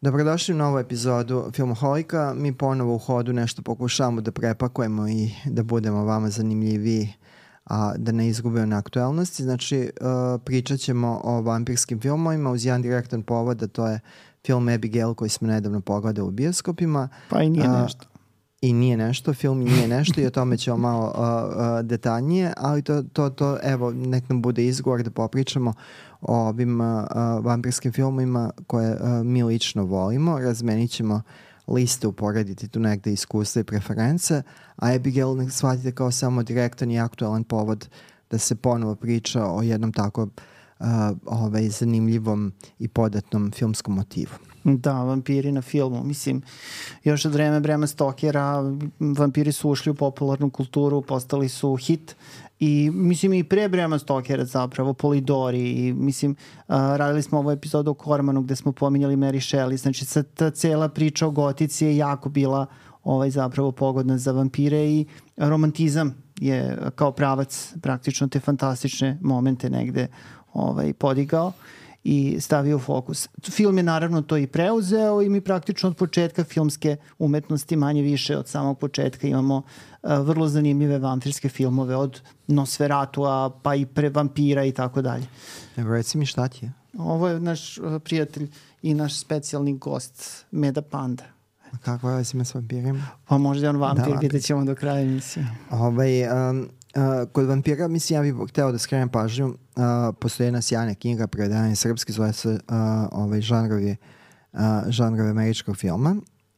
Dobrodošli u novu epizodu Filmoholika. Mi ponovo u hodu nešto pokušavamo da prepakujemo i da budemo vama zanimljiviji, a da ne izgubimo na aktuelnosti. Znači, pričat ćemo o vampirskim filmovima uz jedan direktan povod, a to je film Abigail koji smo nedavno pogledali u bioskopima. Pa i nije nešto. I nije nešto, film nije nešto i o tome ćemo malo detaljnije, ali to evo, nek nam bude izgovor da popričamo o ovim vampirskim filmovima koje mi lično volimo. Razmenit ćemo liste, uporediti tu negde iskustva i preference, a Abigail ne shvatite kao samo direktan i aktualan povod da se ponovo priča o jednom tako zanimljivom i podatnom filmskom motivu. Da, vampiri na filmu. Mislim, još od vreme Brema Stokera vampiri su ušli u popularnu kulturu, postali su hit i mislim i pre Brema Stokera zapravo, Polidori i mislim, radili smo ovu epizodu o Cormanu gde smo pominjali Mary Shelley, znači ta cela priča o gotici je jako bila zapravo pogodna za vampire i romantizam je kao pravac praktično te fantastične momente negde podigao i stavio u fokus. Film je naravno to i preuzeo i mi praktično od početka filmske umetnosti, manje više od samog početka, imamo vrlo zanimljive vampirske filmove od Nosferatua pa i pre vampira i tako dalje. Evo, reci mi šta ti je? Ovo je naš prijatelj i naš specijalni gost, Meda Panda. Kako je s vampirima? Pa možda je on vampir, vidjet ćemo do kraja emisije. Kod vampira, mislim, ja bih hteo da skrenem pažnju, postoji jedna sjajna knjiga prevedena srpski, zove se žanrovi američkog filma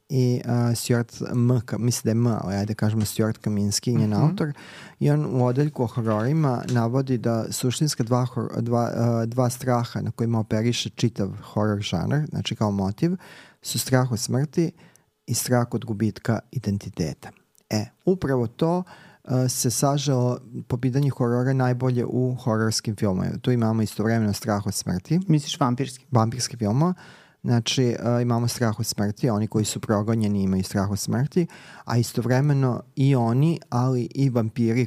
i Stuart mislim da je ali ajde kažemo Stuart Kaminski, njen autor, i on u odeljku o hororima navodi da suštinska dva straha na kojima operiše čitav horor žanr, znači kao motiv, su strah od smrti i strah od gubitka identiteta. Upravo to se saželo po pitanju horora najbolje u hororskim filmovima. Tu imamo istovremeno strah od smrti. Misliš vampirski? Vampirski filmova. Znači, imamo strah od smrti, oni koji su progonjeni imaju strah od smrti, a istovremeno i oni, ali i vampiri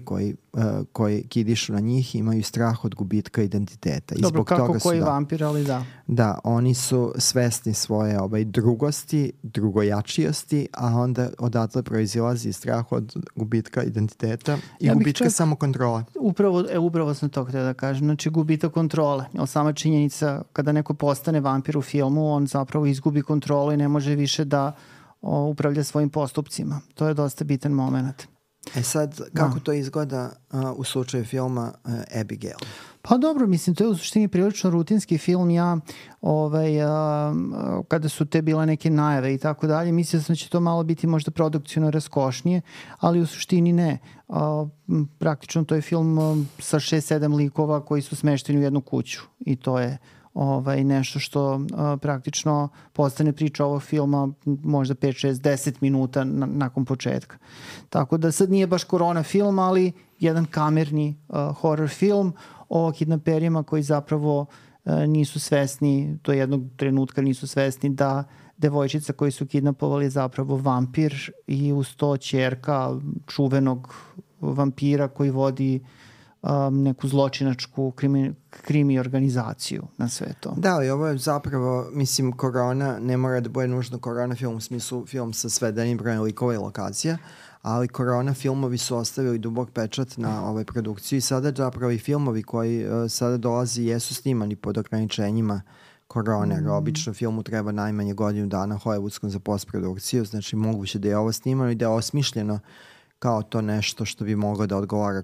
koji kidišu na njih imaju strah od gubitka identiteta. I dobro, zbog kako toga koji vampir, ali da. Da, oni su svesni svoje drugosti, drugojačijosti, a onda odatle proizilazi strah od gubitka identiteta i gubitka samokontrola. Upravo sam to htio da kažem. Znači, gubitak kontrole. Jer sama činjenica kada neko postane vampir u filmu, on zapravo izgubi kontrolu i ne može više da upravlja svojim postupcima. To je dosta bitan moment. Sad, kako to izgleda u slučaju filma Abigail? Pa dobro, mislim, to je u suštini prilično rutinski film. Kada su te bile neke najave i tako dalje, mislio sam da će to malo biti možda produkcijno raskošnije, ali u suštini ne. Praktično to je film sa 6-7 likova koji su smešteni u jednu kuću i to je nešto što praktično postane priča ovog filma možda 5, 6, 10 minuta nakon početka. Tako da sad nije baš korona film, ali jedan kamerni horror film o kidnaperima koji zapravo nisu svesni, do jednog trenutka nisu svesni da devojčica koju su kidnapovali je zapravo vampir i uz to ćerka čuvenog vampira koji vodi neku zločinačku krimi organizaciju na sve to. Da, i ovo je zapravo, mislim, korona, ne mora da bude nužno korona film, u smislu film sa svedenim brojem likova i lokacija, ali korona filmovi su ostavili dubok pečat na produkciju i sada zapravo i filmovi koji sada dolazi jesu snimani pod ograničenjima korone, jer obično filmu treba najmanje godinu dana hollywoodskom za postprodukciju, znači moguće da je ovo snimano i da je osmišljeno kao to nešto što bi moglo da odgovara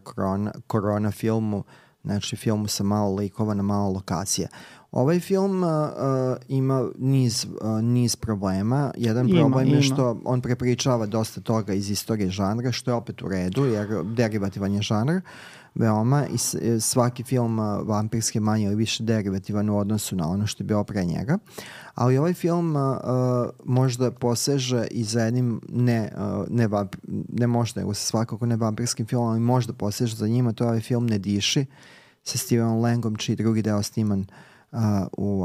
korona filmu, znači filmu sa malo likova na malo lokacija. Ovaj film ima niz problema. Jedan problem je što on prepričava dosta toga iz istorije žanra, što je opet u redu, jer derivativan je žanr veoma i svaki film vampirski manje ili više derivativan u odnosu na ono što je bio pre njega. Ali ovaj film možda poseže i za jednim ne možda, nego sa svakako ne vampirskim filmom, ali možda poseže za njima, to je ovaj film Ne diši sa Stevenom Langom, čiji drugi deo sniman u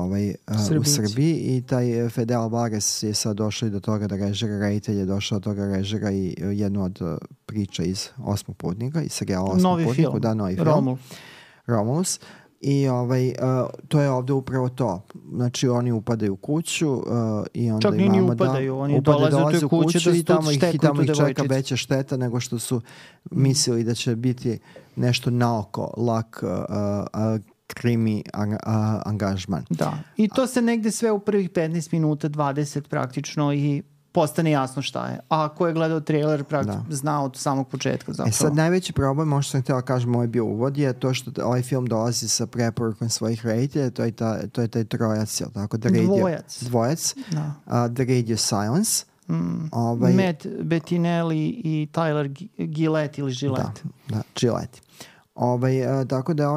Srbiji i taj Fede Alvarez je sad došao do toga da režira, reditelj je došao do toga režira i jednu od priča iz Osmog putnika, iz serijala Osmog putnika. Da, novi film. Romulus. I to je ovde upravo to. Znači oni upadaju u kuću i onda čak imamo ni upadaju, oni dolaze u kuću i tamo ih čeka veća šteta nego što su mislili da će biti nešto naoko lak krimi angažman. Da, i to se negde sve u prvih 15 minuta, 20 praktično i postane jasno šta je. A ko je gledao trailer zna od samog početka zapravo. Sad najveći problem, možda sam htjela kažem, ovaj bio uvod, je to što ovaj film dolazi sa preporukom svojih reditelja, to je taj trojac, je li tako? Dvojac. Da. The Radio Silence. Matt Bettinelli i Tyler Gillette ili Gillette. Da, Gillette. Tako da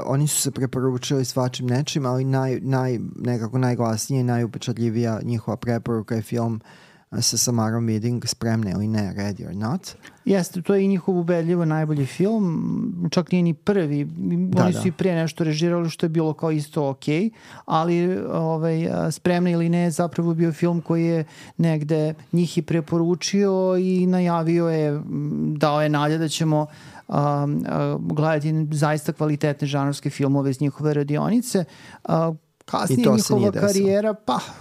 oni su se preporučili svačim nečim, ali nekako najglasnije i najupečatljivija njihova preporuka je film sa Samarom Weaving, Spremne ili ne, Ready or Not. Jeste, to je i njihov ubedljivo najbolji film, čak nije ni prvi, oni su i prije nešto režirali što je bilo kao isto okej, ali Spremne ili ne zapravo bio film koji je negde njih i preporučio i najavio je, dao je nade da ćemo gledati zaista kvalitetne žanrovske filmove iz njihove radionice. Kasnije njihova karijera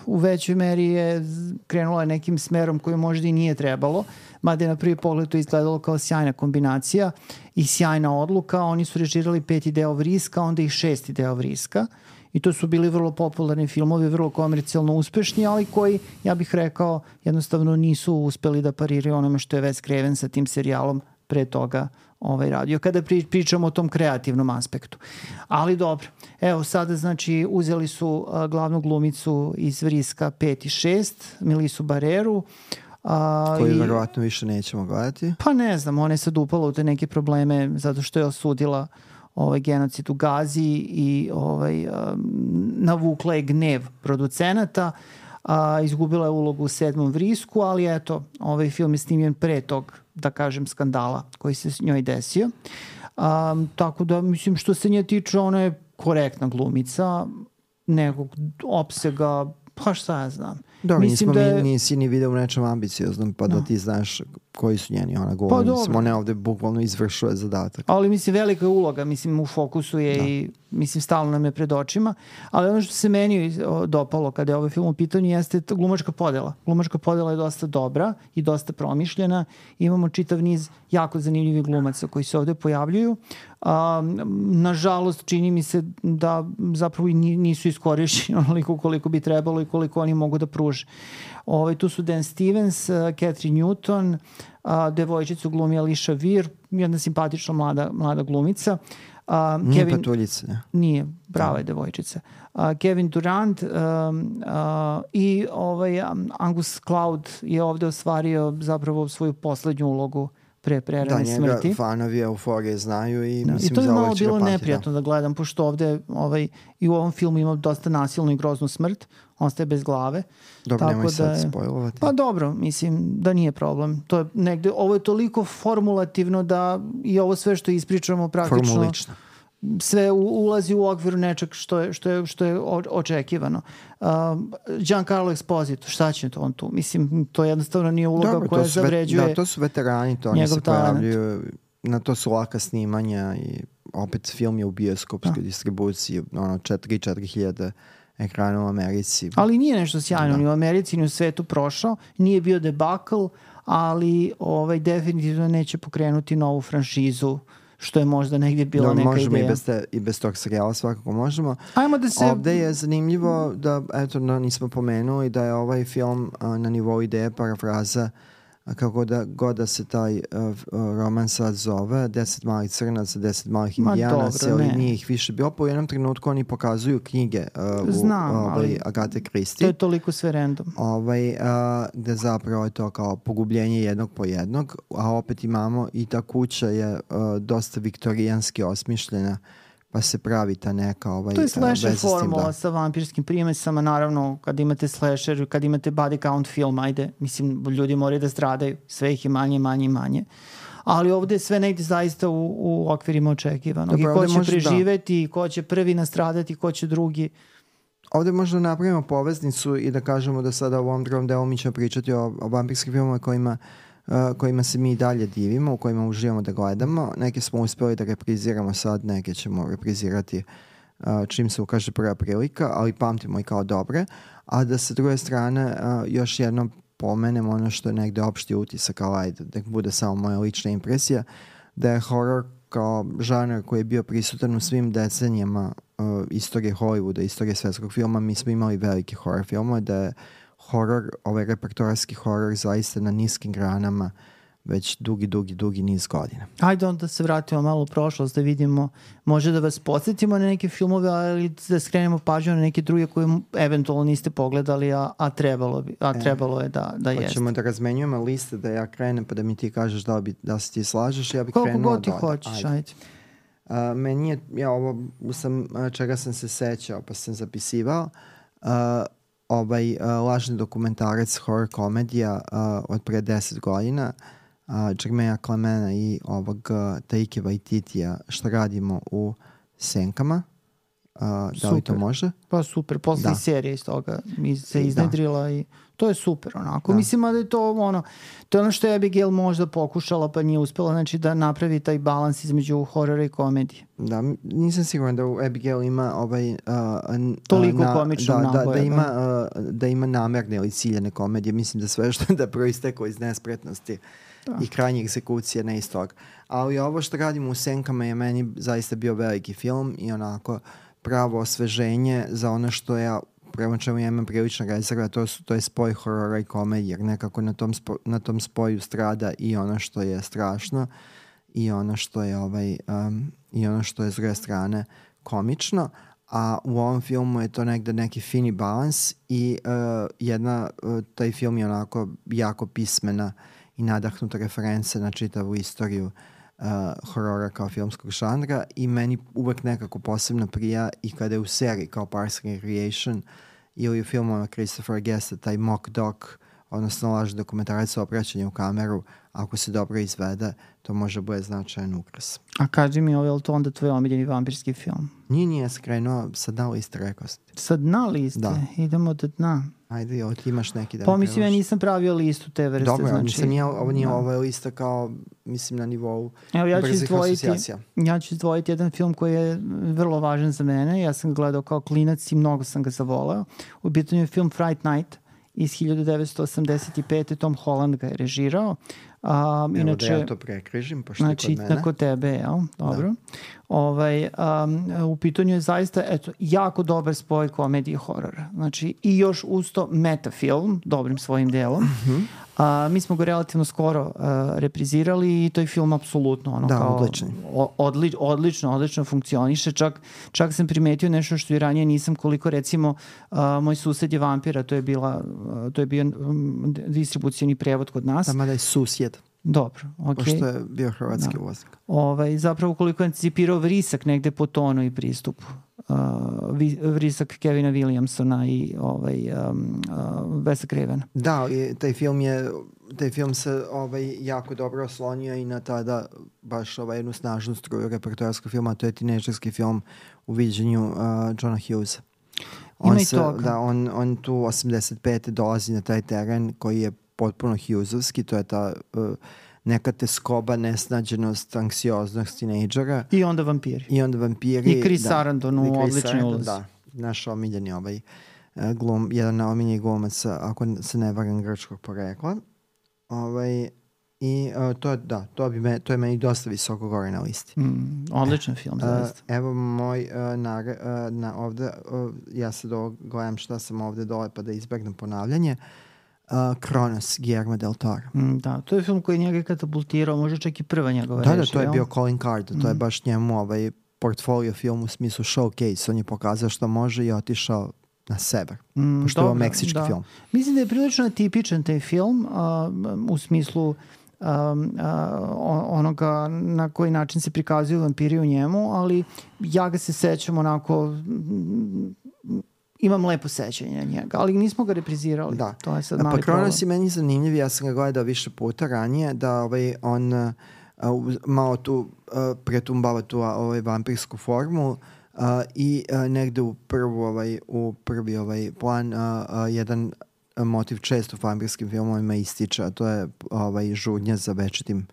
u većoj meri je krenula nekim smerom koji možda i nije trebalo, mada je na prvi pogled to izgledalo kao sjajna kombinacija i sjajna odluka. Oni su režirali 5. deo Vriska, onda i 6. deo Vriska i to su bili vrlo popularni filmovi, vrlo komercijalno uspešni, ali koji, ja bih rekao, jednostavno nisu uspeli da pariraju onome što je Wes Craven sa tim serijalom pre toga radio, kada pričamo o tom kreativnom aspektu. Ali dobro, evo sada znači uzeli su glavnu glumicu iz Vriska 5 i 6, Melisu Barreru, koju verovatno više nećemo gledati. Pa ne znam, ona je sad upala u te neke probleme zato što je osudila genocid u Gazi i navukla je gnev producenata. Izgubila je ulogu u 7. Vrisku, ali eto, ovaj film je snimljen pre tog, da kažem, skandala koji se s njoj desio. Tako da, mislim, što se nje tiče, ona je korektna glumica, nekog opsega, pa šta ja znam. Dobro, nisi ni video u nečem ambicioznom, pa da ti znaš koji su njeni govori. Mislim, ona ovde bukvalno izvršuje zadatak. Ali mislim, velika je uloga, mislim, u fokusu je i mislim, stalno nam je pred očima. Ali ono što se meni dopalo kada je ovaj film u pitanju jeste glumačka podela. Glumačka podela je dosta dobra i dosta promišljena. Imamo čitav niz jako zanimljivih glumaca koji se ovde pojavljuju. Nažalost, čini mi se da zapravo nisu iskorišćeni onoliko koliko bi trebalo i koliko oni mogu da pruže. Tu su Dan Stevens, Catherine Newton, devojčicu glumi Alicia Weir, jedna simpatična mlada glumica. Nije patuljica. Nije, brava je devojčica. Kevin Durant i Angus Cloud je ovde ostvario zapravo svoju poslednju ulogu pre prerane smrti. Da, njega fanovi Euforije znaju i mislim to za ovo će ga patiti. I to je malo bilo neprijatno da gledam, pošto ovde i u ovom filmu ima dosta nasilnu i groznu smrt, on staje bez glave. Dobro, nemoj sad spojlovati. Pa dobro, mislim da nije problem. To je negde, ovo je toliko formulativno da i ovo sve što ispričamo praktično... Formulično. Sve ulazi u okviru nečeg što je očekivano. Giancarlo Esposito, šta će on tu? Mislim, to jednostavno nije uloga koja zavređuje. Da, to su veterani, to oni se pojavljuju, na to su laka snimanja i opet film je u bioskopskoj distribuciji, 3-4 hiljade ekrana u Americi. Ali nije nešto sjajno, ni u Americi, ni u svetu prošao, nije bio debakl, ali definitivno neće pokrenuti novu franšizu, što je možda negdje bila neka možemo ideja. Možemo i bez tog serijala, svakako možemo. Ajmo da se... Ovde je zanimljivo da, eto, nismo pomenuli da je ovaj film na nivou ideje parafraza kako da se taj roman sad zove, 10 malih crnaca, 10 malih indijanaca, ali nije ih više bilo. Po jednom trenutku oni pokazuju knjige Agate Christie. To je toliko sve random. Gde zapravo je to kao pogubljenje jednog po jednog, a opet imamo i ta kuća je dosta viktorijanski osmišljena, pa se pravi ta neka to je slasher formula sa vampirskim primesama, naravno kad imate slasher, kad imate body count film, ajde, mislim, ljudi moraju da stradaju, sve ih je manje, ali ovde je sve negdje zaista u okvirima očekivanog. I ko će preživeti, ko će prvi nastradati, ko će drugi. Ovde možda napravimo poveznicu i da kažemo da sada u ovom drugom delu mi ćemo pričati o vampirskim filmama kojima kojima se mi dalje divimo, u kojima uživamo da gledamo. Neke smo uspeli da repriziramo sad, neke ćemo reprizirati čim se ukaže prva prilika, ali pamtimo i kao dobre. A da sa druge strane još jednom pomenem ono što je negde opšti utisak, ali ajde, da bude samo moja lična impresija, da je horor kao žanar koji je bio prisutan u svim decenijama istorije Hollywooda, istorije svetskog filma. Mi smo imali velike horor filmove, da je horor, ovaj repertoarski horor zaista na niskim granama već dugi niz godina. Ajde onda se vratimo malo u prošlost da vidimo, može da vas podsjetimo na neke filmove, ali da skrenemo pažnju na neke druge koje eventualno niste pogledali, a trebalo je da jeste. Hoćemo da razmenjujemo liste, da ja krenem pa da mi ti kažeš da se ti slažeš, ja bih koliko krenuo god ti hoćeš, ajde. Meni je, ovo čega sam se sećao pa sam zapisivao, lažni dokumentarac horror komedija od pre 10 godina, Jermaine Clemena i Taike Waititija, Šta radimo u senkama. Da li to može? Pa super, posle serije iz toga se iznedrila i to je super onako. Mislim da je to to je ono što je Abigail možda pokušala pa nije uspela, znači da napravi taj balans između horora i komedije. Da, nisam siguran da u Abigail ima toliko komičnog naboja. Da ima namerne ili ciljene komedije. Mislim da sve što da proisteklo iz nespretnosti i krajnje egzekucije ne iz toga. Ali ovo Što radimo u senkama je meni zaista bio veliki film i onako pravo osveženje za ono što ja prema čemu ja imam prilična rezerva, to je spoj horora i komedije, jer nekako na tom spoju strada i ono što je strašno i ono što je i ono što je s druge strane komično, a u ovom filmu je to negde neki fini balans i taj film je onako jako pismena i nadahnuta reference na čitavu istoriju horora kao filmskog žanra i meni uvek nekako posebno prija i kada je u seriji kao Parks and Recreation ili u filmova Christopher Guesta taj mock doc, odnosno lažni dokumentarac o obraćanju u kameru, ako se dobro izvede, to može bude značajan ukras. A kaži mi, je li to onda tvoj omiljeni vampirski film? Nije skrenuo sa dna liste, rekao sam. Sa dna liste? Da. Idemo do dna. Ajde, jel ti imaš neki da pa mislim, ja nisam pravio listu te vrste. Dobro, znači, ovo nije ova lista kao, mislim, na nivou brzih asocijacija. Ja ću izdvojiti jedan film koji je vrlo važan za mene. Ja sam ga gledao kao klinac i mnogo sam ga zavoleo. U pitanju je film Fright Night iz 1985. Tom Holland ga je režirao. Inače, da ja to prekrižim, pošto znači, je kod mene. Kod tebe, jel? Dobro. U pitanju je zaista jako dobar spoj komedije i horora. Znači, i još uz to metafilm, dobrim svojim delom. Mi smo ga relativno skoro reprizirali i to je film apsolutno odlično funkcioniše. Čak sam primetio nešto što i ranije nisam, koliko recimo Moj sused je vampira, to je bio distribucijni prevod kod nas. Tamo da je susjed. Dobro, okej. Pošto je bio hrvatski uvoznik. Zapravo koliko je anticipirao vrisak negde po tonu i pristupu. Vrisak Kevina Williamsona i Wesa Cravena. Da, taj film se jako dobro oslonio i na tada baš jednu snažnu struju repertoarskog filma, to je tinejdžerski film u viđenju Johna Hughesa. On tu 85. dolazi na taj teren koji je potpuno Hughesovski, to je ta neka teskoba, nesnađenost, anksioznost tinejdžera. I onda vampiri. I Chris Sarandon u odličnoj ulozi. Da, naš omiljeni jedan omiljenih glumaca, ako se ne varam, grčkog porekla. I to je meni dosta visoko gore na listi. Odličan film, zaista. Evo moj ovde, ja sad gledam šta sam ovde dole pa da izbegnem ponavljanje. Kronos, Guillermo del Toro. Da, to je film koji je njega katapultirao, možda čak i prva njegova režija. Da, to je bio Colin Cardo, to je baš njemu portfolio film u smislu showcase, on je pokazao što može i otišao na sever, pošto je ovo meksički film. Mislim da je prilično atipičan taj film u smislu onoga na koji način se prikazuju vampiri u njemu, ali ja ga se sećam onako, imam lepo sećanje na njega, ali nismo ga reprizirali. Da. To je sad mali problem. Pa Kronos je meni zanimljiv, ja sam ga gledao više puta ranije, da on malo tu pretumbava tu vampirsku formu i negde u prvi plan jedan motiv često u vampirskim filmovima ističe, a to je žudnja za večitim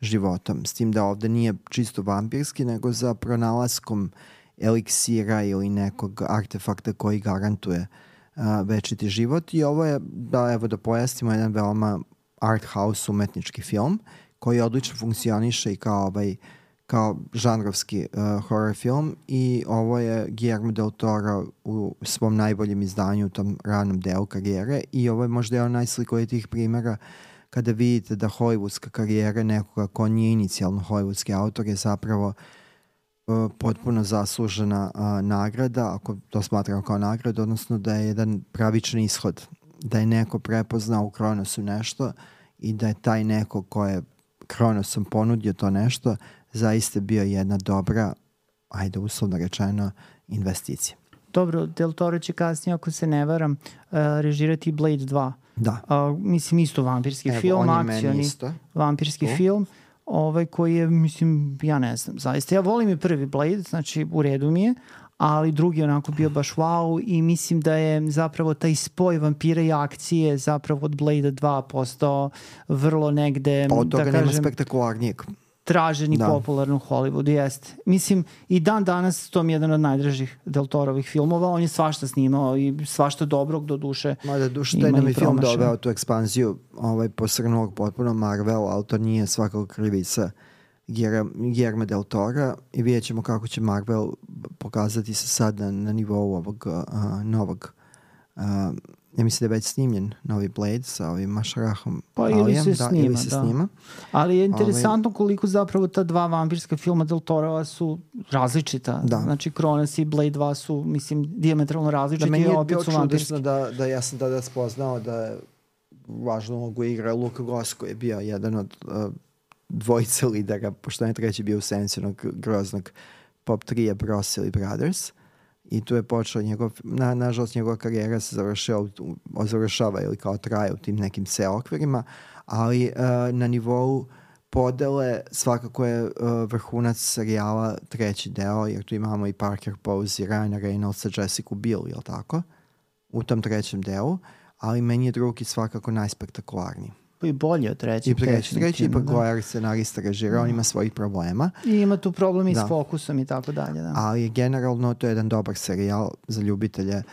životom. S tim da ovde nije čisto vampirski, nego za pronalaskom eliksira ili nekog artefakta koji garantuje večiti život. I ovo je, da pojasnimo, jedan veoma art house umetnički film koji odlično funkcioniše i kao žanrovski horror film, i ovo je Guillermo del Toro u svom najboljem izdanju u tom ranom delu karijere, i ovo je možda jedan najslikovitijih primjera kada vidite da hollywoodska karijera nekoga ko nije inicijalno hollywoodski autor je zapravo potpuno zaslužena nagrada, ako to smatramo kao nagradu, odnosno da je jedan pravičan ishod, da je neko prepoznao u Kronosu nešto i da je taj neko ko je Kronosom ponudio to nešto zaista bio jedna dobra, ajde uslovno rečeno, investicija. Dobro, Del Toro će kasnije, ako se ne varam, režirati Blade 2. Da. Mislim, isto vampirski film, akcioni vampirski film, koji je, mislim, ja ne znam, zaista. Ja volim i prvi Blade, znači u redu mi je, ali drugi onako bio baš wow, i mislim da je zapravo taj spoj vampira i akcije zapravo od Blade 2 postao vrlo negde, od toga nema spektakularnijeg. Tražen i popularno u Hollywoodu, jeste. Mislim, i dan danas to mi je jedan od najdražih Del Torovih filmova, on je svašta snimao i svašta dobrog, do duše. Taj nam je film doveo tu ekspanziju posrnulog potpuno Marvel, ali to nije svakako krivica Guillermo del Tora, i vidjet ćemo kako će Marvel pokazati se sad na nivou ovog novog ja mislim da je već snimljen novi Blade sa ovim Masharahom Alijem. Ili se snima. Ali je interesantno koliko zapravo ta dva vampirska filma Del Torova su različita. Da. Znači Kronos i Blade 2 su, mislim, dijametralno različiti. Da, meni je bio čudesno da ja sam tada spoznao da je važnu ulogu igra Luka Goss, koji je bio jedan od dvojice lidera, pošto je treći bio u senci onog groznog pop trija Bros ili Brothers. I tu je počeo nažalost njegova karijera se završava ili kao traje u tim nekim okvirima, ali na nivou podele svakako je vrhunac serijala treći deo, jer tu imamo i Parker Posey, Ryana Reynoldsa, Jessica Biel, jel tako? U tom trećem delu, ali meni je drugi svakako najspektakularniji. I bolje od trećeg. Treći ipak Goyer scenarista režira, on ima svojih problema. I ima tu problem i s fokusom i tako dalje. Da. Ali generalno to je jedan dobar serijal za ljubitelje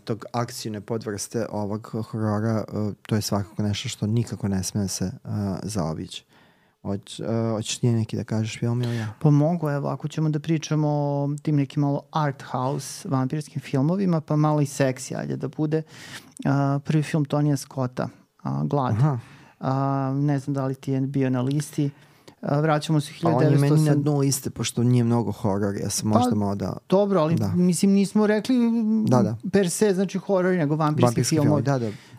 tog akcijne podvrste ovog horora. To je svakako nešto što nikako ne sme se zaobići. Hoćeš ti neki da kažeš film ili ja? Pa mogu, evo, ako ćemo da pričamo o tim nekim malo art house vampirskim filmovima, pa malo i seksi, ajde da bude. Prvi film Tonija Scotta, Glad. Ne znam da li ti je bio na listi. Vraćamo se 1900... On je meni na dnu liste, pošto nije mnogo horor. Ja sam možda malo da... Dobro, ali mislim nismo rekli per se, znači horor, nego vampirski film.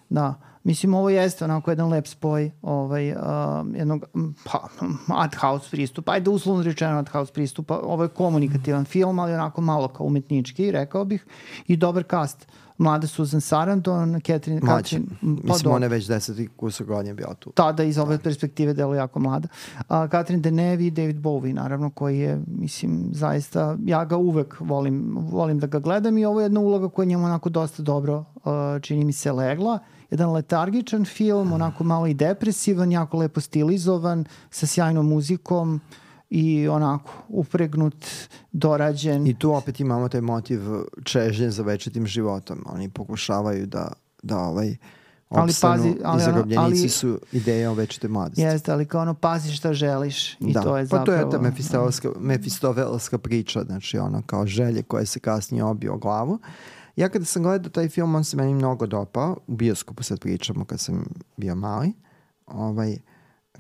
Da. Mislim, ovo jeste onako jedan lep spoj jednog art house pristupa. Ajde, uslovno rečeno art house pristupa. Ovo je komunikativan film, ali onako malo kao umetnički, rekao bih. I dobar cast. Mlada Susan Sarandon, Catherine... Mlađe. Mislim, ona je već 10 kusur godina bila tu. Tada iz ove perspektive delo jako mlada. Catherine Deneuve i David Bowie, naravno, koji je, mislim, zaista... Ja ga uvek volim da ga gledam, i ovo je jedna uloga koja njemu onako dosta dobro, čini mi se, legla. Jedan letargičan film, onako malo i depresivan, jako lepo stilizovan, sa sjajnom muzikom i onako upregnut, dorađen. I tu opet imamo taj motiv čežnje za večitim životom. Oni pokušavaju da opstanu i zarobljenici su ideje o večitoj mladosti. Jeste, ali kao pazi šta želiš. I to je zapravo... Pa to je ta mefistovelska priča, znači ono kao želje koje se kasnije obiju o glavu. Ja kada sam gledao taj film, on se meni mnogo dopao. U bioskopu sad pričamo kad sam bio mali.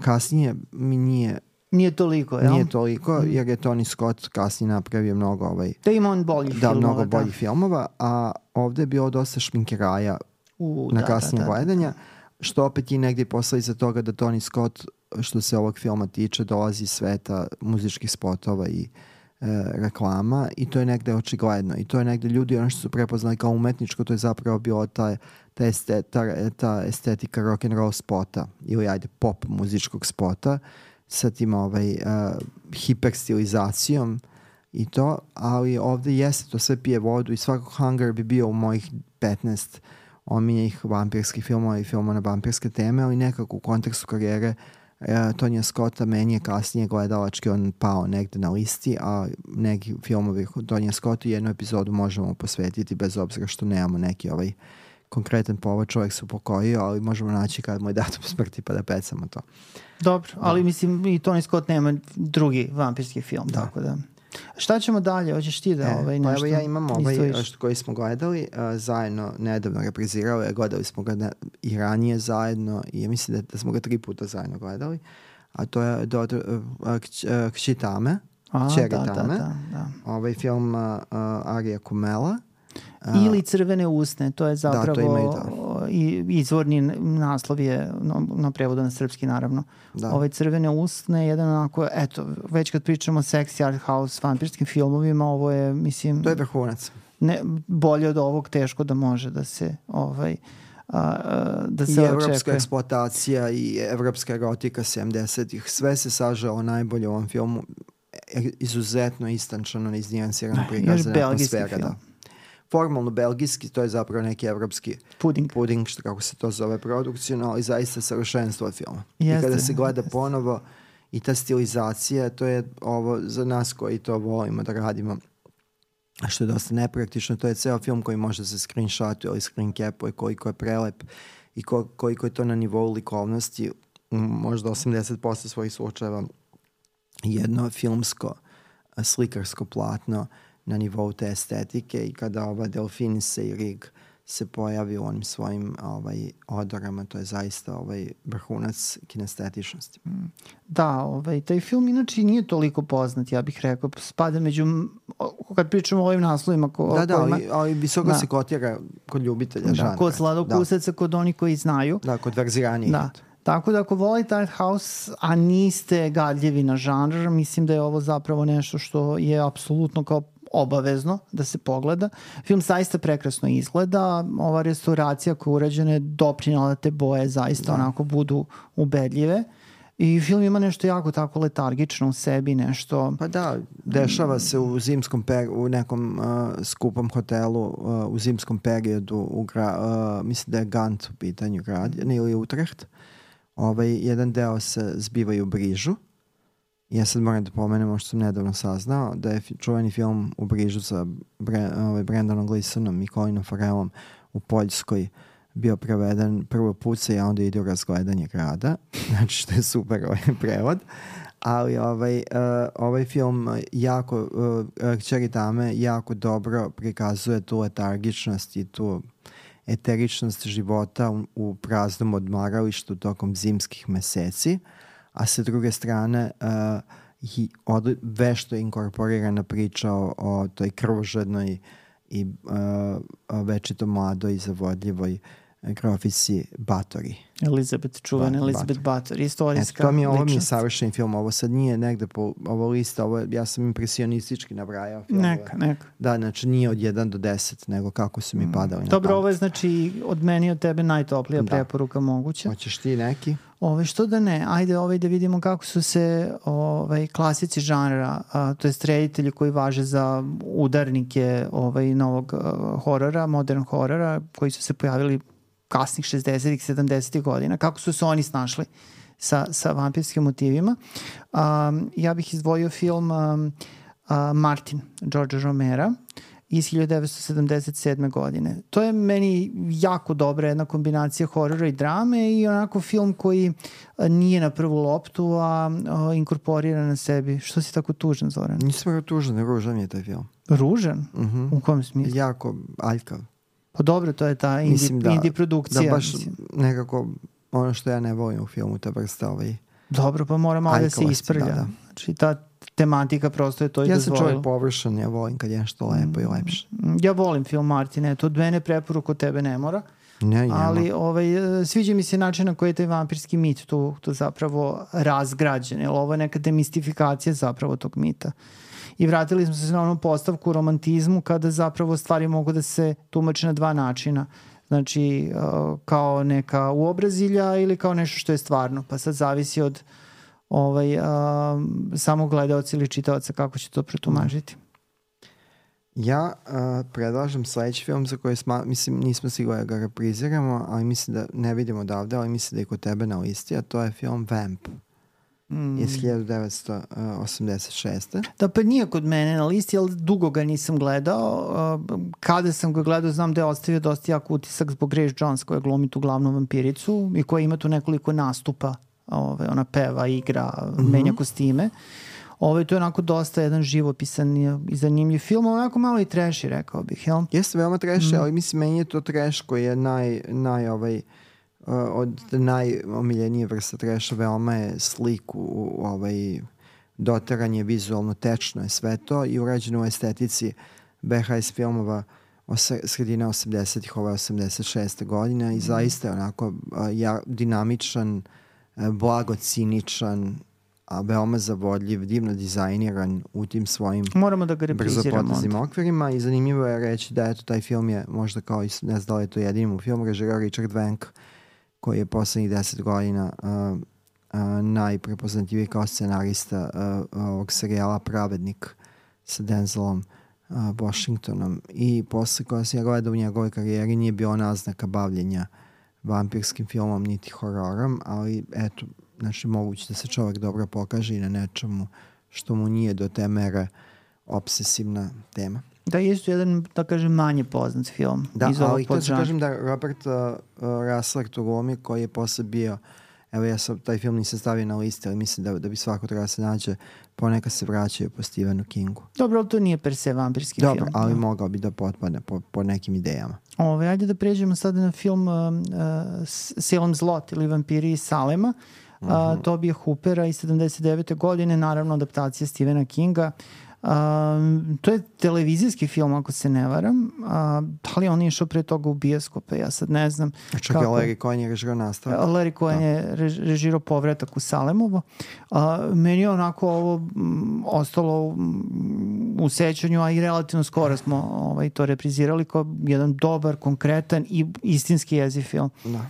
Kasnije mi nije toliko, jel? Nije toliko, jer je Tony Scott kasnije napravio mnogo da ima on boljih filmova. Mnogo boljih filmova, a ovde je bilo dosta šminkeraja na kasnije gledanja, što opet i negdje posledica toga da Tony Scott, što se ovog filma tiče, dolazi iz sveta muzičkih spotova i reklama, i to je negde očigledno, i to je negde ljudi ono što su prepoznali kao umetničko, to je zapravo bilo ta estetika rock'n'roll spota ili ajde pop muzičkog spota sa tim hiperstilizacijom i to, ali ovde jeste to sve pije vodu i svakog Hunger bi bio u mojih 15 omiljenih vampirskih filmova i filmova na vampirske teme, ali nekako u kontekstu karijere Tonija Scotta meni je kasnije gledalački on pao negde na listi, a neki filmovi Tonija Scotta jednu epizodu možemo posvetiti bez obzira što nemamo neki konkretan povod, čovjek se upokojio, ali možemo naći kad mu je datum smrti pa da pecamo to. Dobro, ali mislim i Tony Scott nema drugi vampirski film, tako da. Šta ćemo dalje? Hoćeš ti da nešto? Pa evo ja imam koji smo gledali zajedno, nedavno reprizirali, gledali smo ga i ranije zajedno i mislim da smo ga 3 puta zajedno gledali, a to je Kći Tame, Čeri Tame, ovaj film Arija Kumela. Ili Crvene usne, to je zapravo izvorni naslov je na prevodu na srpski naravno. Crvene usne je jedan onako, eto, već kad pričamo o sexy art house vampirskim filmovima, ovo je, mislim... To je vrhunac. Bolje od ovog teško da može da se da se očekuje. I evropska eksploatacija i evropska erotika 70-ih, sve se sažalo najbolje u ovom filmu, izuzetno istančano, iznijansirano prikazana atmosfera. Da. Formalno belgijski, to je zapravo neki evropski puding, što kako se to zove produkcijno, ali zaista savršenstvo filma. I kada se gleda ponovo i ta stilizacija, to je ovo za nas koji to volimo da radimo, što je dosta nepraktično, to je ceo film koji može se screenshotuje ili screencapuje, koliko je prelep i koliko je to na nivou likovnosti, možda 80% svojih slučajeva jedno filmsko slikarsko platno na nivou te estetike i kada ova Delfinise i Rig se pojavi u onim svojim odorama, to je zaista vrhunac kinestetičnosti. Da, taj film inače nije toliko poznat, ja bih rekao, spada među, kad pričamo o ovim naslovima ali visoko se kotira kod ljubitelja žanra. Kod sladokusaca, kod onih koji znaju. Da, kod verziranijih. Tako da ako volite art house, a niste gadljivi na žanr, mislim da je ovo zapravo nešto što je apsolutno kao obavezno da se pogleda. Film zaista prekrasno izgleda. Ova restauracija koja je urađena je doprinala da te boje zaista onako budu ubedljive. I film ima nešto jako tako letargično u sebi, nešto... Pa da, dešava se u nekom skupom hotelu u zimskom periodu, mislim da je Gant u pitanju grad, ili Utrecht. Jedan deo se zbiva u Brižu. Ja sad moram da pomenem što sam nedavno saznao, da je čuveni film U Brižu sa Brendanom Gleesonom i Colinom Farrellom u Poljskoj bio preveden prvo puca, a onda ide u razgledanje grada, znači što je super prevod, ali ovaj film Kćeri Tame jako dobro prikazuje tu letargičnost i tu eteričnost života u praznom odmaralištu tokom zimskih meseci, a sa druge strane vešto je inkorporirana priča o toj krvožednoj i večito mladoj i zavodljivoj grofici Bathory. Elizabeth Bathory, istorijska ličnost. Ovo mi je savršen film, ovo sad nije negde po ovo lista, ja sam impresionistički nabrajao filmove. Neka. Da, znači nije od 1 do 10, nego kako su mi padali na pamet. Dobro, ovo je znači od meni i od tebe najtoplija preporuka moguća. Hoćeš ti neki? Što da ne, ajde da vidimo kako su se klasici žanra, to jest reditelji koji važe za udarnike novog horora, modern horora, koji su se pojavili kasnih 60-ih, 70-ih godina, kako su se oni snašli sa vampirskim motivima. Ja bih izdvojio film Martin, Georgea Romera, iz 1977. godine. To je meni jako dobra jedna kombinacija horora i drame i onako film koji nije na prvu loptu, a inkorporira na sebi. Što si tako tužan, Zoran? Nisam tužan, ružan je taj film. Ružan? U kom smislu? Jako aljkav. Pa dobro, to je ta indie produkcija. Da baš nekako ono što ja ne volim u filmu, ta vrsta Dobro, pa mora malo da se isprlja. Znači ta tematika prosto je to i dozvolila. Ja sam čovjek površan, ja volim kad je nešto lepo i lepše. Ja volim film Martin, to od mene preporuku, od tebe ne mora. Ali sviđa mi se način na koji je taj vampirski mit tu zapravo razgrađen. Ovo je neka demistifikacija zapravo tog mita. I vratili smo se na onu postavku romantizmu kada zapravo stvari mogu da se tumače na 2 načina. Znači kao neka uobrazilja ili kao nešto što je stvarno. Pa sad zavisi od samog gledaoca ili čitaoca kako će to protumažiti. Ja predlažem sledeći film za koji mislim nismo sigurni da ga repriziramo, ali mislim da ne vidimo odavde, ali mislim da je kod tebe na listi, a to je film Vamp iz 1986. Da, pa nije kod mene na listi, ali dugo ga nisam gledao. Kada sam ga gledao, znam da je ostavio dosta jak utisak zbog Grace Jones koja glumi tu glavnu vampiricu i koja ima tu nekoliko nastupa. Ona peva, igra, menja kostime. To je onako dosta jedan živopisan i zanimljiv film, onako malo i trashy, rekao bih, jel? Jeste veoma trashy, ali mislim meni je to trash koji je od najomiljenije vrsta trasha, veoma je sliku, doteran je vizualno, tečno je sve to i urađeno u estetici VHS filmova sredina 80-ih, 86. godina i zaista je onako dinamičan, blago ciničan, a veoma zavodljiv, divno dizajniran u tim svojim brzopoteznim okvirima i zanimljivo je reći da eto taj film je možda kao, ne znam da li je to jedini mu film, režirao Richard Wenk koji je poslednjih 10 godina najprepoznatljiviji kao scenarista ovog serijala Pravednik sa Denzelom Washingtonom i posle koja se ja gleda u njegovoj karijeri nije bio naznaka bavljenja vampirskim filmom niti hororom, ali eto, znači moguće da se čovjek dobro pokaže i na nečemu što mu nije do te mere obsesivna tema. Da, je jedan, da kažem, manje poznat film. Da, ali to ću kažem da Robert Russell tu glumi koji je posle bio, evo ja sam taj film nisam stavio na listi, ali mislim da bi svako treba se nađe, ponekad se vraćaju po Stephenu Kingu. Dobro, ali to nije per se vampirski film. Dobro, ali mogao bi da potpadne po nekim idejama. Ajde da pređemo sada na film Salem's Lot ili Vampiri iz Salema. Tobija Hoopera iz 79. godine, naravno adaptacija Stephena Kinga. To je televizijski film, ako se ne varam, da li on je išao pre toga u bioskope, ja sad ne znam. Čak je Larry Cohen je režirao nastavak. Larry Cohen je režirao Povratak u Salemovo. Meni je onako ovo ostalo u sećanju, a i relativno skoro smo to reprizirali kao jedan dobar, konkretan i istinski jeziv film. Da.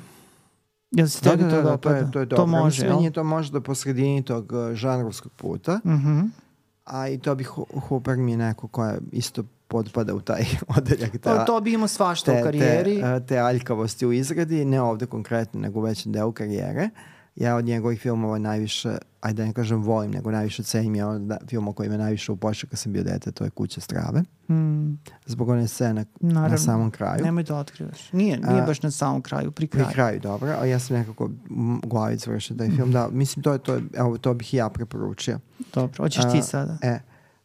Jel se tebi to dopada? To je dobro. To može, jel? Meni to možda po sredini tog žanrovskog puta. A i to bi Hooper mi je neko koja isto potpada u taj odeljak. To bi imao svašta u karijeri. Te aljkavosti u izradi, ne ovde konkretno, nego u većem delu karijere. Ja od njegovih filmova najviše, ajde da ne kažem volim, nego najviše cenim je film o kojima najviše upočeo kad sam bio dete, to je Kuća strave. Zbog one scene na samom kraju. Nemoj da otkrivaš. Nije baš na samom kraju, pri kraju. Pri kraju, dobro. A ja sam nekako u glavi završio taj film. Da, mislim, to bih i ja preporučio. Dobro, hoćeš ti sada.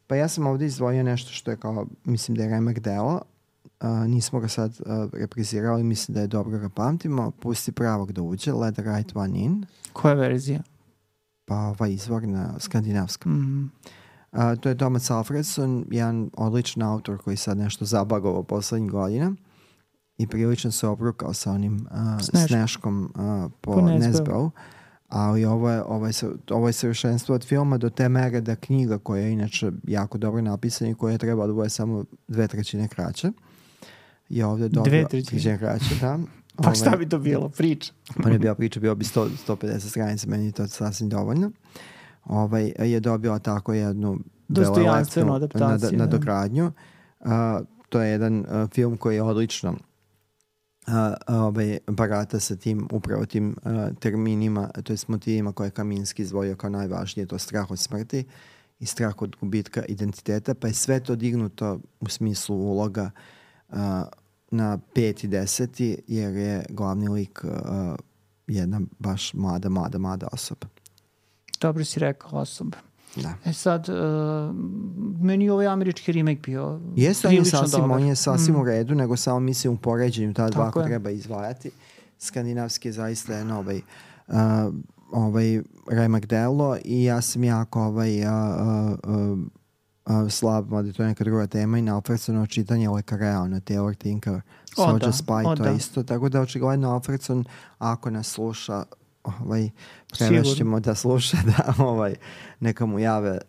Pa ja sam ovde izdvojio nešto što je kao, mislim da je remek delo. Nismo ga sad reprizirali, mislim da je dobro ga pamtimo. Pusti pravog da uđe, Let the right one in. Koja verzija? Pa ova izvorna, skandinavska. To je Thomas Alfredson, jedan odličan autor koji sad nešto zabagovao poslednjih godina i prilično se obrukao sa onim Sneškom po Nesbeu. Ali ovo je savršenstvo od filma do te mere da knjiga koja je inače jako dobro napisana i koja treba da bude samo 2/3 kraće je ovde dobio 2/3 kraće, da. Pa šta bi to bilo? Priča? Pa ne bila priča, bilo bi 150 stranica, meni je to sasvim dovoljno. Je dobio tako jednu dostojanstvenu adaptaciju. Nadogradnju. To je jedan film koji je odlično barata sa tim, upravo tim terminima, to je motivima koje je Kaminski izdvojio kao najvažnije, to strah od smrti i strah od gubitka identiteta, pa je sve to dignuto u smislu uloga na 5 i 10 jer je glavni lik jedna baš mlada osoba. Dobro si rekao, osoba. Da. Sad, meni je ovaj američki remake bio prilično dobar. On je sasvim u redu, nego samo mislim u poređenju ta dva ako treba izdvajati. Skandinavski je zaista jedno remek delo i ja sam jako slab, mada to je neka druga tema i na Alfredsonovo čitanje Lekarea, na Taylor Tinker, Soldier Spy, to je isto. Tako da očigledno Alfredson, ako nas sluša, prevešćemo da sluša, da neka mu jave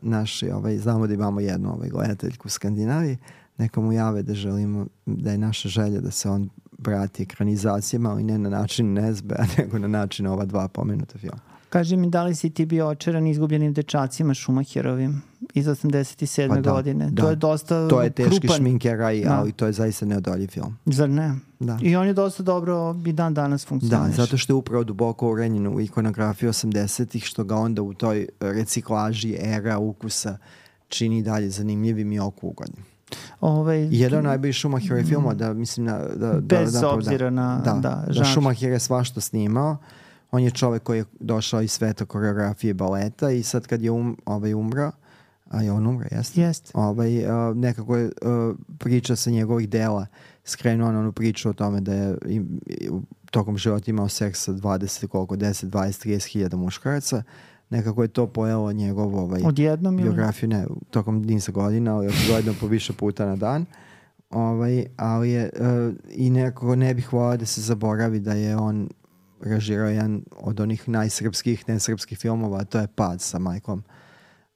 naši, znamo da imamo jednu gledateljku u Skandinaviji, neka mu jave da želimo, da je naša želja da se on vrati ekranizacijama, ali ne na način Nesbea, nego na način ova dva pomenuta filma. Kaži mi, da li si ti bio očaran Izgubljenim dečacima Schumacherovim iz 87. Pa da, godine? Da. To je dosta to je teški krupan. Šminkeraj, ali to je zaista neodoljiv film. Zar ne? Da. I on je dosta dobro i dan danas funkcioniš. Da, zato što je upravo duboko urenjen u ikonografiju 80-ih, što ga onda u toj reciklaži era ukusa čini dalje zanimljivim i oku ugodnim. Jedan od najboljih Schumacherovih filmova, da mislim bez obzira na da Schumacher je svašta snimao. On je čovek koji je došao iz sveta koreografije baleta i sad kad je umro, a je on umro, jeste? Jeste. Nekako je priča sa njegovih dela skrenuo na onu priču o tome da je tokom života imao seks sa 10, 20, 30 hiljada muškaraca. Nekako je to pojelo njegovu biografiju, ne, tokom niza godina, ali očigledno po više puta na dan. Ali je, i nekako ne bih volao da se zaboravi da je on režirao jedan od onih najsrpskih, nesrpskih filmova, a to je Pad sa Michaelom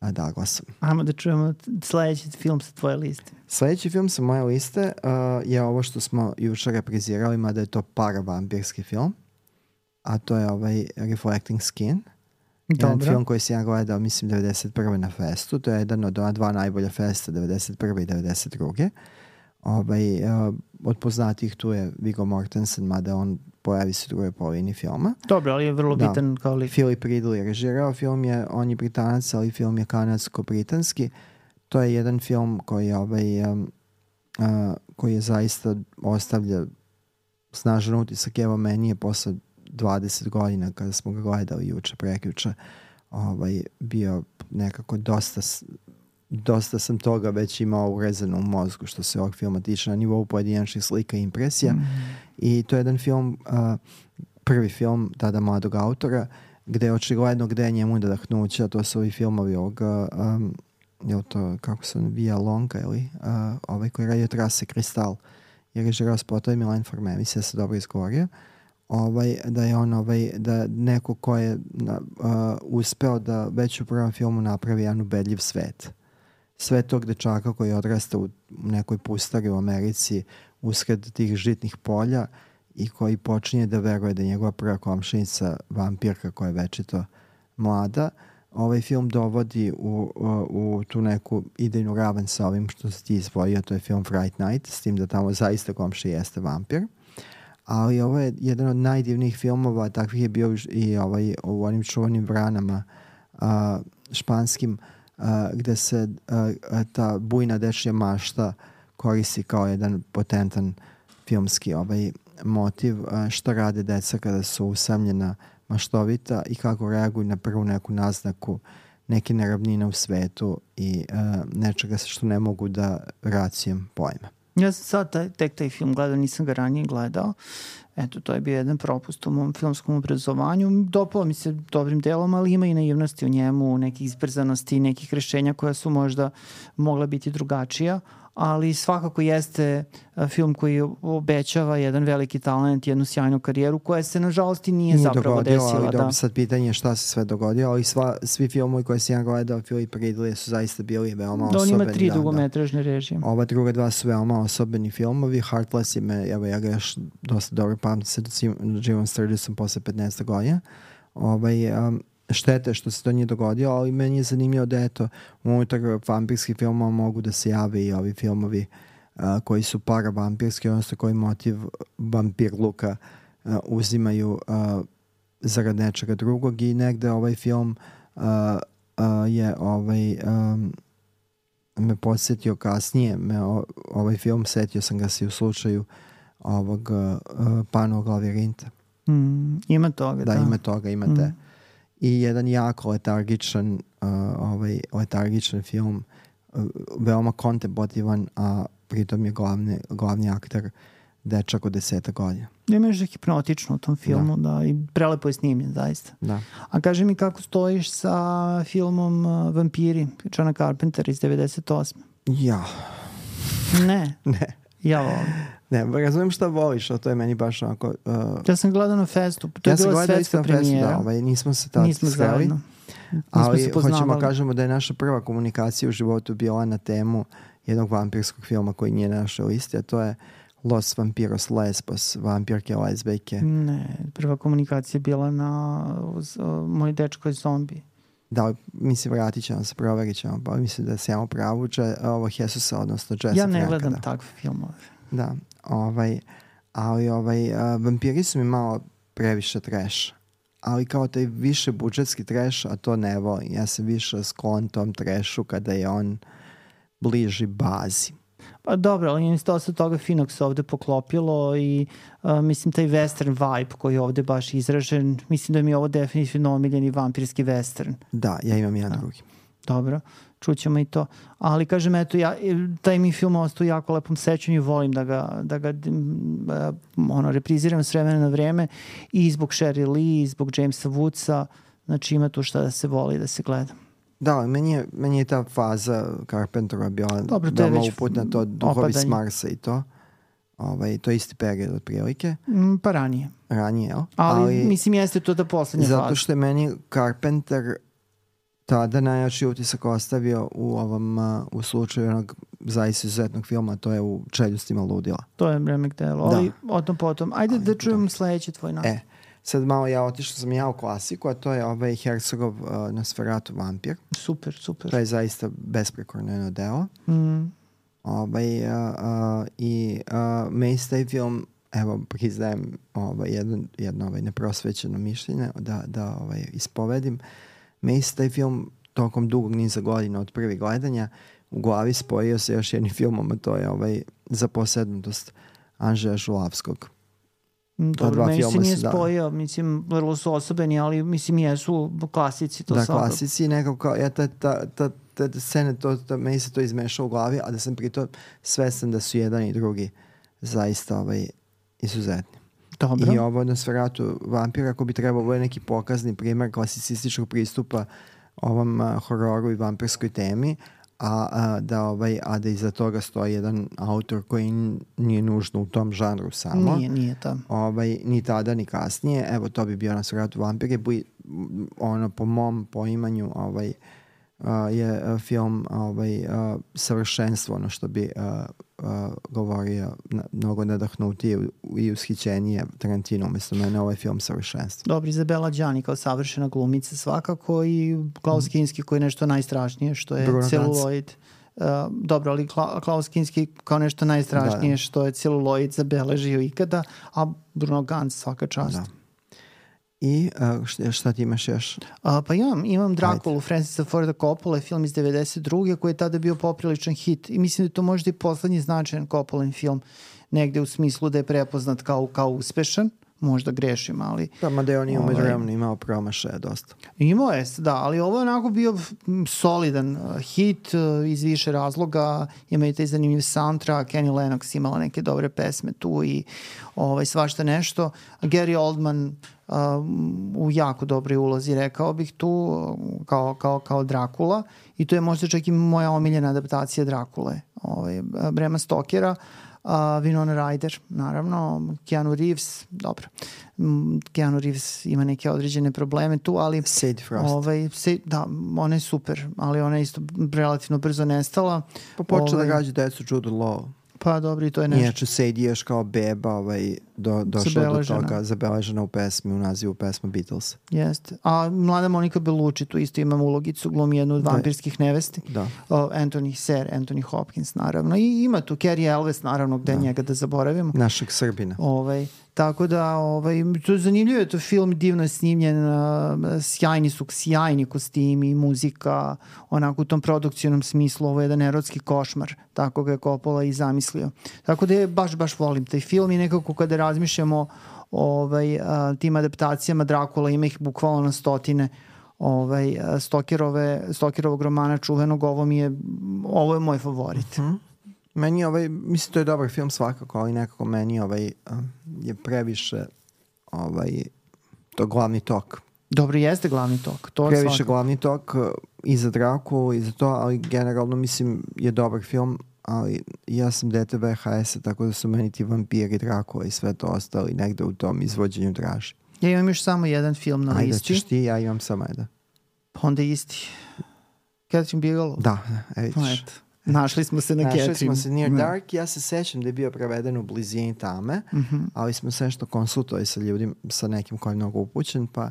Douglasom. Ajmo da čujemo sledeći film sa tvoje liste. Sledeći film sa moje liste je ovo što smo jučer reprizirali, mada je to paravampirski film, a to je Reflecting Skin. Jedan film koji sam ja gledao, mislim, 91. na festu. To je jedan od dva najbolja festa, 91. i 92. Od poznatih tu je Viggo Mortensen, mada on pojavi se u drugoj polovini filma. Dobro, ali je vrlo bitan kao lik. Philip Ridley je režirao film, on je Britanac, ali film je kanadsko-britanski. To je jedan film koji je zaista ostavlja snažan utisak. Evo, meni je posle 20 godina kada smo ga gledali juče, prekjuče, bio nekako dosta sam toga već imao urezano u mozgu što se ovog filma tiče na nivou pojedinačnih slika i impresija. I to je jedan film, prvi film tada mladog autora, gde je očigledno gde je njemu nadahnuća, to su ovi filmovi ovoga, je to, kako se Via Longa, ili koji radio Trase Kristal, je režirao spotove Milan Forme, mislim da se dobro izgovorio. Da je on da neko ko je uspeo da već u prvom filmu napravi jedan ubedljiv svet. Sve tog dečaka koji odrasta u nekoj pustari u Americi usred tih žitnih polja i koji počinje da veruje da je njegova prva komšinica vampirka koja je večito mlada. Ovaj film dovodi u tu neku idejnu ravan sa ovim što si ti izvojio, to je film Fright Night, s tim da tamo zaista komšija jeste vampir. Ali ovo je jedan od najdivnijih filmova, takvih je bio i u onim čuvanim Vranama španskim, gde se ta bujna dečja mašta koristi kao jedan potentan filmski motiv, šta rade deca kada su usamljena, maštovita i kako reaguju na prvu neku naznaku neke neravnine u svetu i nečega što ne mogu da racijom pojma. Ja sam sad tek taj film gledao, nisam ga ranije gledao. Eto, to je bio jedan propust u mom filmskom obrazovanju. Dopalo mi se dobrim delom, ali ima i naivnosti u njemu, nekih izbrzanosti, nekih rešenja koja su možda mogla biti drugačija, ali svakako jeste film koji obećava jedan veliki talent, jednu sjajnu karijeru koja se nažalost i nije zapravo desila. Ali sad pitanje je šta se sve dogodilo, ali svi filmovi koje sam ja gledao Philip Ridley su zaista bili veoma osobeni. On ima 3 dugometražne režije. Ova druga 2 su veoma osobeni filmovi. Heartless ja ga još dosta dobro pamtim se živom Sturgisom posle 15 godina. Štete što se to nije dogodilo, ali meni je zanimljivo da eto, unutar vampirskih filmova mogu da se jave i ovi filmovi koji su paravampirski, odnosno koji motiv vampirluka uzimaju zarad nečega drugog i negde ovaj film je me podsjetio kasnije, ovaj film setio sam ga se u slučaju ovog Panovog lavirinta. Ima toga, da. Da, ima toga, imate. I jedan jako letargičan film, veoma kontemplativan, a pritom je glavni akter dečak od 10 godina. Ima još hipnotično u tom filmu, da, i prelepo je snimljen, zaista. Da. A kaži mi kako stojiš sa filmom Vampiri, Johna Carpentera iz 98. Ja. Ne? Ne. Ja volim. Ne, razumijem šta voliš, a to je meni baš onako... Ja sam gledao na festu, to je bila svetska premijera. Nismo se tad sreli. Ali hoćemo kažemo da je naša prva komunikacija u životu bila na temu jednog vampirskog filma koji nije na našoj listi, a to je Los Vampiros Lesbos, vampirke lezbejke. Ne, prva komunikacija je bila na Moj dečko je zombi. Da, mislim, vratit ćemo se, proverit ćemo, pa mislim da se imamo pravu, ovo Jesusa, odnosno Jesse Ja ne Franka, gledam da. takve filmove. Da, ali vampiri su mi malo previše trash. Ali kao taj više budžetski trash, a to ne volim. Ja sam više sklon tom trashu kada je on bliži bazi. Pa dobro, ali isto dosta toga finog se ovde poklopilo i mislim taj western vibe koji je ovde baš izražen, mislim da mi je ovo definitivno omiljeni vampirski western. Da, ja imam jedan drugi. Dobro, čućemo i to. Ali kažem, eto, taj mi film ostao u jako lepom sećanju, volim da ga repriziram s vremena na vreme i zbog Sheryl Lee, i zbog Jamesa Woodsa, znači ima tu šta da se voli da se gleda. Da, ali meni je ta faza Carpentera bila veoma uputna, to Duhovi s Marsa i to. To je isti period otprilike. Pa ranije. Ranije, jel? Ali mislim jeste to da poslednja faza. Zato što je meni Carpenter tada najjači utisak ostavio u slučaju onog zaista izuzetnog filma, to je u Čeljustima ludila. To je remek delo, ali o tom potom. Ajde da čujem sledeći tvoj nastup. Sad malo otišao sam u klasiku, a to je Herzogov Nosferatu vampir. Super. To je zaista besprekorno jedno delo. Meni se taj film, evo, priznajem jedno neprosvećeno mišljenje da ispovedim. Meni se taj film tokom dugog niza godina od prvih gledanja u glavi spojio se još jednim filmom, a to je Za posednutost Andžeja Žulavskog. Dobro, meni se nije spojio, mislim, vrlo su osobeni, ali mislim jesu klasici. To klasici, nekako, ta scena, meni se to izmešao u glavi, a da sam pritom svestan da su jedan i drugi zaista izuzetni. Dobro. I ovo Nosferatu vampira, ako bi trebalo, ovo je neki pokazni primer klasicističkog pristupa ovom hororu i vampirskoj temi, a da iza toga stoji jedan autor koji nije nužno u tom žanru samo. Nije tam. Ni tada, ni kasnije. Evo, to bi bio Nosferatu vampir. Po mom poimanju je film savršenstvo, ono što bi govorio mnogo nadahnutije i ushićenije Tarantino, umjesto mene ovaj film savršenstvo. Dobro, Izabela Đani kao savršena glumica svakako i Klaus Kinski koji je nešto najstrašnije što je celuloid. Dobro, ali Klaus Kinski kao nešto najstrašnije što je celuloid zabeležio ikada, a Bruno Ganz svaka čast. Da. I šta ti imaš još? Pa imam Drakulu Francisa Forda Coppola, film iz 92. koji je tada bio popriličan hit i mislim da je to možda i poslednji značajan Coppolin film, negde u smislu da je prepoznat kao uspešan, možda grešim, ali... Mada je on imao promašaja dosta. Imao je, da, ali ovo je onako bio solidan hit iz više razloga, ima i taj zanimljiv soundtrack, Annie Lennox imala neke dobre pesme tu i svašta nešto. Gary Oldman u jako dobroj ulozi, rekao bih tu, kao Drakula, i to je možda čak i moja omiljena adaptacija Drakule, Brema Stokera. Winona Ryder, naravno, Keanu Reeves, dobro, Keanu Reeves ima neke određene probleme tu, ali Sadie Frost. Da, ona je super, ali ona je isto relativno brzo nestala. Pa počela da gađa decu Jude Law. Pa dobro, i to je nešto. Inače, Sadie još kao beba došla do toga, zabeležena u pesmi, u nazivu pesma Beatles. Jeste. A mlada Monika Bellucci tu isto imam ulogicu, glumi jednu od vampirskih nevesti. Da. Anthony Hopkins, naravno. I ima tu Cary Elwes, naravno, gde njega da zaboravimo. Našeg Srbina. Tako da, to je zanimljivo, je to film divno snimljen, sjajni kostimi, muzika, onako u tom produkcijnom smislu, ovo je jedan erotski košmar, tako ga je Coppola i zamislio. Tako da baš volim taj film i nekako kada razmišljamo tim adaptacijama Drakula, ima ih bukvalno na stotine, Stokerovog romana čuvenog, ovo je moj favorit. Meni mislim to je dobar film svakako, ali nekako meni je previše to glavni tok. Dobro, jeste glavni tok. Previše glavni tok i za Drakulu i za to, ali generalno mislim je dobar film, ali ja sam dete VHS-a, tako da su meni ti vampiri, Drakula i sve to ostali negde u tom izvođenju draži. Ja imam još samo jedan film na listi. Ajde, ćeš ti, ja imam samo jedan. Pa onda isti. Catherine Bigelow. Da, vidiš. Našli smo se na Catherine. Našli smo se Near Dark. Ja se sećam da je bio preveden u Blizini tame, ali smo se nešto konsultovali sa ljudima, sa nekim koji je mnogo upućen, pa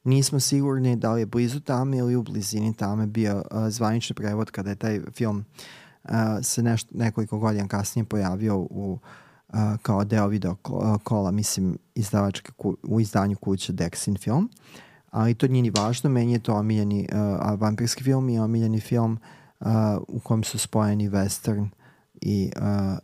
nismo sigurni da li je Blizu tame ili u Blizini tame bio zvanični prevod kada je taj film se nekoliko godina kasnije pojavio kao deo video kola, mislim, u izdanju kuće Dexin film. Ali to nije ni važno, meni je to omiljeni vampirski film i omiljeni film u kojem su spojeni western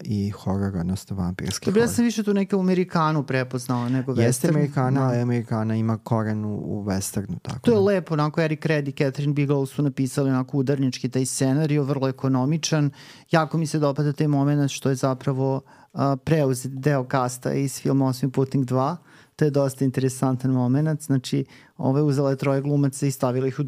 i horror, odnosno vampirski horror. Ja sam više tu neke u Amerikanu prepoznala nego western. Jeste Amerikana, ali Amerikana ima koren u westernu. Tako to je lepo, onako Eric Red i Catherine Bigelow su napisali onako udarnički taj scenarij, vrlo ekonomičan. Jako mi se dopada taj moment što je zapravo preuzet deo kasta iz filma Osmi putnik 2. To je dosta interesantan moment. Znači, uzela je 3 glumaca i stavila ih u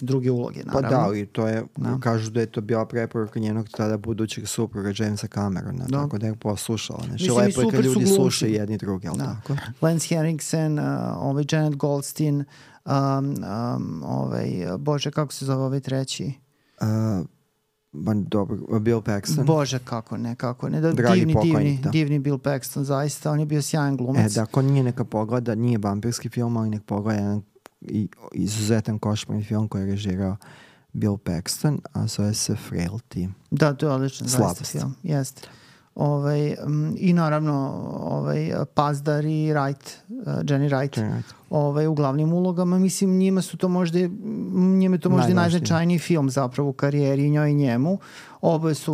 druge uloge, naravno. Pa da, i to je, kažu da je to bila preporuka njenog tada budućeg supruga Jamesa Camerona, tako da je poslušala. Znači, lepo je kad ljudi slušaju jedni drugi, ali tako? Lance Henriksen, Janet Goldstein, Bože, kako se zove treći? Dobro, Bill Paxton. Bože, kako ne. Divni Bill Paxton, zaista, on je bio sjajan glumac. Da, ko nije neka pogleda, nije vampirski film, ali nek pogleda jedan izuzetan košmarni film koji je režirao Bill Paxton, a zove se Frailty. Da, to je odličan zaista film. Jeste. I naravno Pazdar i Jenny Wright u glavnim ulogama. Mislim, njima je to možda najznačajniji film zapravo u karijeri, njoj i njemu.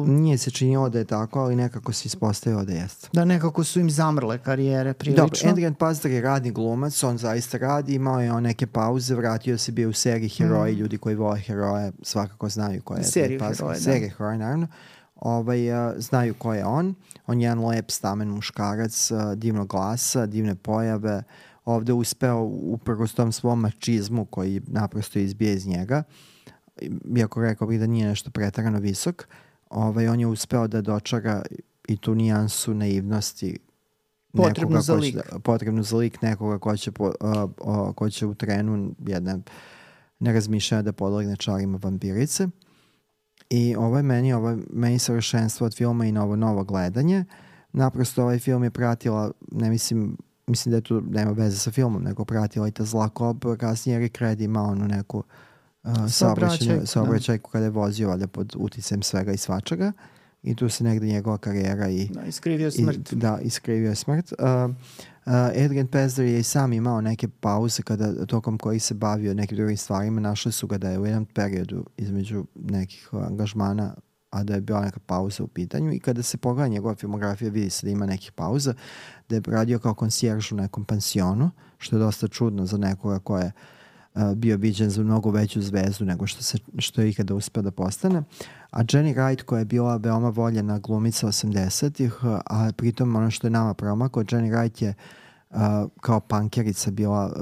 Nije se činilo da je tako, ali nekako se ispostavilo da jeste. Da, nekako su im zamrle karijere prilično. Dobro, Adrian Pazdar je radni glumac, on zaista radi, imao je neke pauze, vratio se, bio u seriji Heroji, ljudi koji vole heroje svakako znaju ko je Adrian Pazdar. Serije Heroje, naravno. Znaju ko je on je jedan lep stamen muškarac, divnog glasa, divne pojave, ovde uspeo uprkos tom svom mačizmu koji naprosto izbije iz njega, iako rekao bih da nije nešto pretarano visok, on je uspeo da dočara i tu nijansu naivnosti potrebnu za lik nekoga ko će u trenu jedne nerazmišljanja da podlegne čarima vampirice. I ovo je meni savršenstvo od filma i novo gledanje. Naprosto ovaj film je pratila, mislim da je tu nema veze sa filmom, nego pratila i ta zla kob, kasnije Eric Red imao onu neku saobraćajku kada je vozio valjda pod uticajem svega i svačega i tu se negde njegova karijera iskrivio smrt. Iskrivio smrt. Adrian Pazdar je i sam imao neke pauze tokom kojih se bavio nekim drugim stvarima. Našli su ga da je u jednom periodu između nekih angažmana, a da je bila neka pauza u pitanju i kada se pogleda njegova filmografija vidi se da ima nekih pauza, da je radio kao konsjerž u nekom pansionu, što je dosta čudno za nekoga ko je bio viđen za mnogo veću zvezdu nego što je ikada uspeo da postane. A Jenny Wright, koja je bila veoma voljena glumica 80-ih, a pritom ono što je nama promakao, Jenny Wright je kao pankerica bila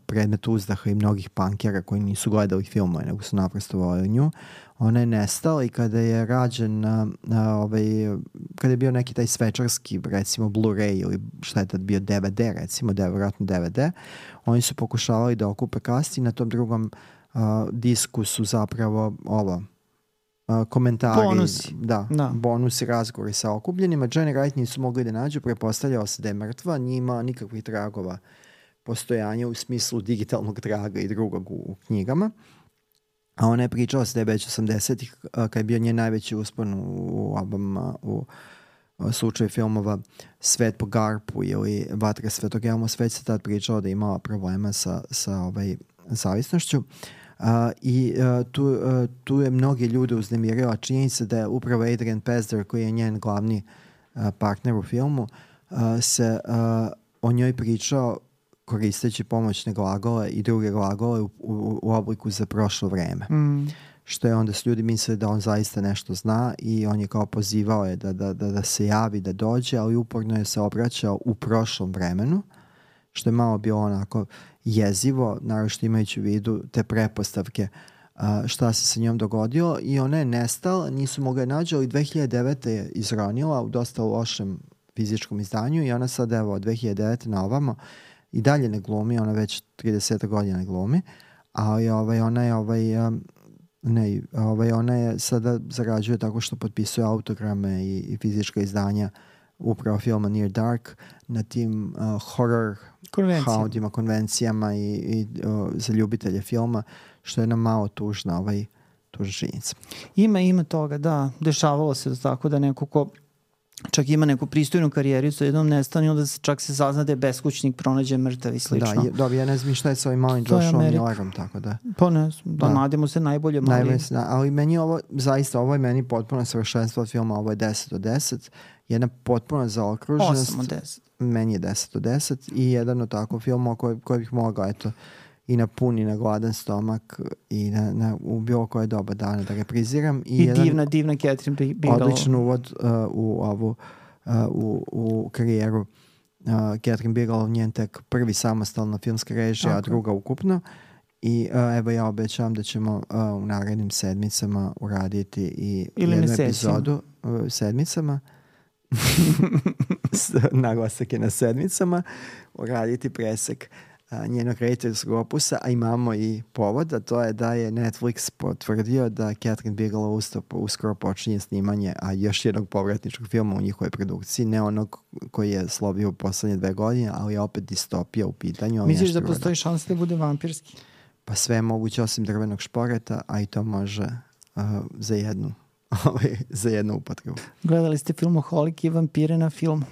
predmet uzdaha i mnogih pankera koji nisu gledali filmove, nego su naprosto voljeli nju. Ona je nestala i kada je rađen kada je bio neki taj svečarski, recimo Blu-ray ili šta je tad bio DVD, recimo, vjerojatno DVD, oni su pokušavali da okupe kast i na tom drugom disku su zapravo komentari, bonusi, razgovori sa okupljenima. Jenny Wright nisu mogli da nađu, prepostavljao se da je mrtva, nije imala nikakvih tragova postojanja u smislu digitalnog traga i drugog u knjigama. A ona je pričala se da je već 80-ih, kad je bio njen najveći uspon u slučaju filmova Svet po Garpu ili Vatra Svetog Elma, sve se tad pričao da je imala problema sa zavisnošću. Tu je mnogi ljude uznemirila činjenica da je upravo Adrian Pazdar, koji je njen glavni partner u filmu, se o njoj pričao koristeći pomoćne glagole i druge glagole u obliku za prošlo vreme. Što je onda su ljudi mislili da on zaista nešto zna i on je kao pozivao je da se javi, da dođe, ali uporno je se obraćao u prošlom vremenu, što je malo bilo onako jezivo, naravno što imajući u vidu te prepostavke šta se sa njom dogodilo, i ona je nestala, nisu mogli nađu, ali 2009. je izronila u dosta lošem fizičkom izdanju i ona sad evo od 2009. na ovamo i dalje ne glumi, ona već 30 godina ne glumi, ali ona je Ne, ona je sada zarađuje tako što potpisuje autograme i fizička izdanja upravo filma Near Dark na tim horror houndima, konvencijama i za ljubitelje filma, što je nam malo tužna činjenica. Ima toga, da. Dešavalo se tako da neko ko čak ima neku pristojnu karijericu, jednom nestane i onda čak se sazna da je beskućnik, pronađe mrtav i slično. Da, ja ne znam šta je sa ovim malim Joshom Millerom, tako da. Pa ne znam, nadimo se najbolje mali. Ali meni je ovo, zaista, ovo je meni potpuno savršenstvo od filma, ovo je 10 od 10, jedna potpuno zaokruženost. 8 od 10. Meni je 10 od 10 i jedan od takvog filma koji bih mogao, eto, i na pun i na gladan stomak i u bilo koje doba dana da repriziram. I divna Catherine Bigelow. Odličan uvod u karijeru Catherine Bigelow, njen tek prvi samostalna filmska režija, a druga ukupno. I evo ja obećavam da ćemo u narednim sedmicama uraditi i jednu epizodu sedmicama. Naglasak je na sedmicama, uraditi presek njenog rediteljskog opusa, a imamo i povod, a to je da je Netflix potvrdio da Catherine Bigelow uskoro počinje snimanje još jednog povratničkog filma u njihovoj produkciji, ne onog koji je slovio u poslednje 2 godine, ali je opet distopija u pitanju. Misliš da postoji šansa da bude vampirski? Pa sve je moguće osim drvenog šporeta, a i to može za jednu upotrebu. Gledali ste Filmoholik i vampire na filmu.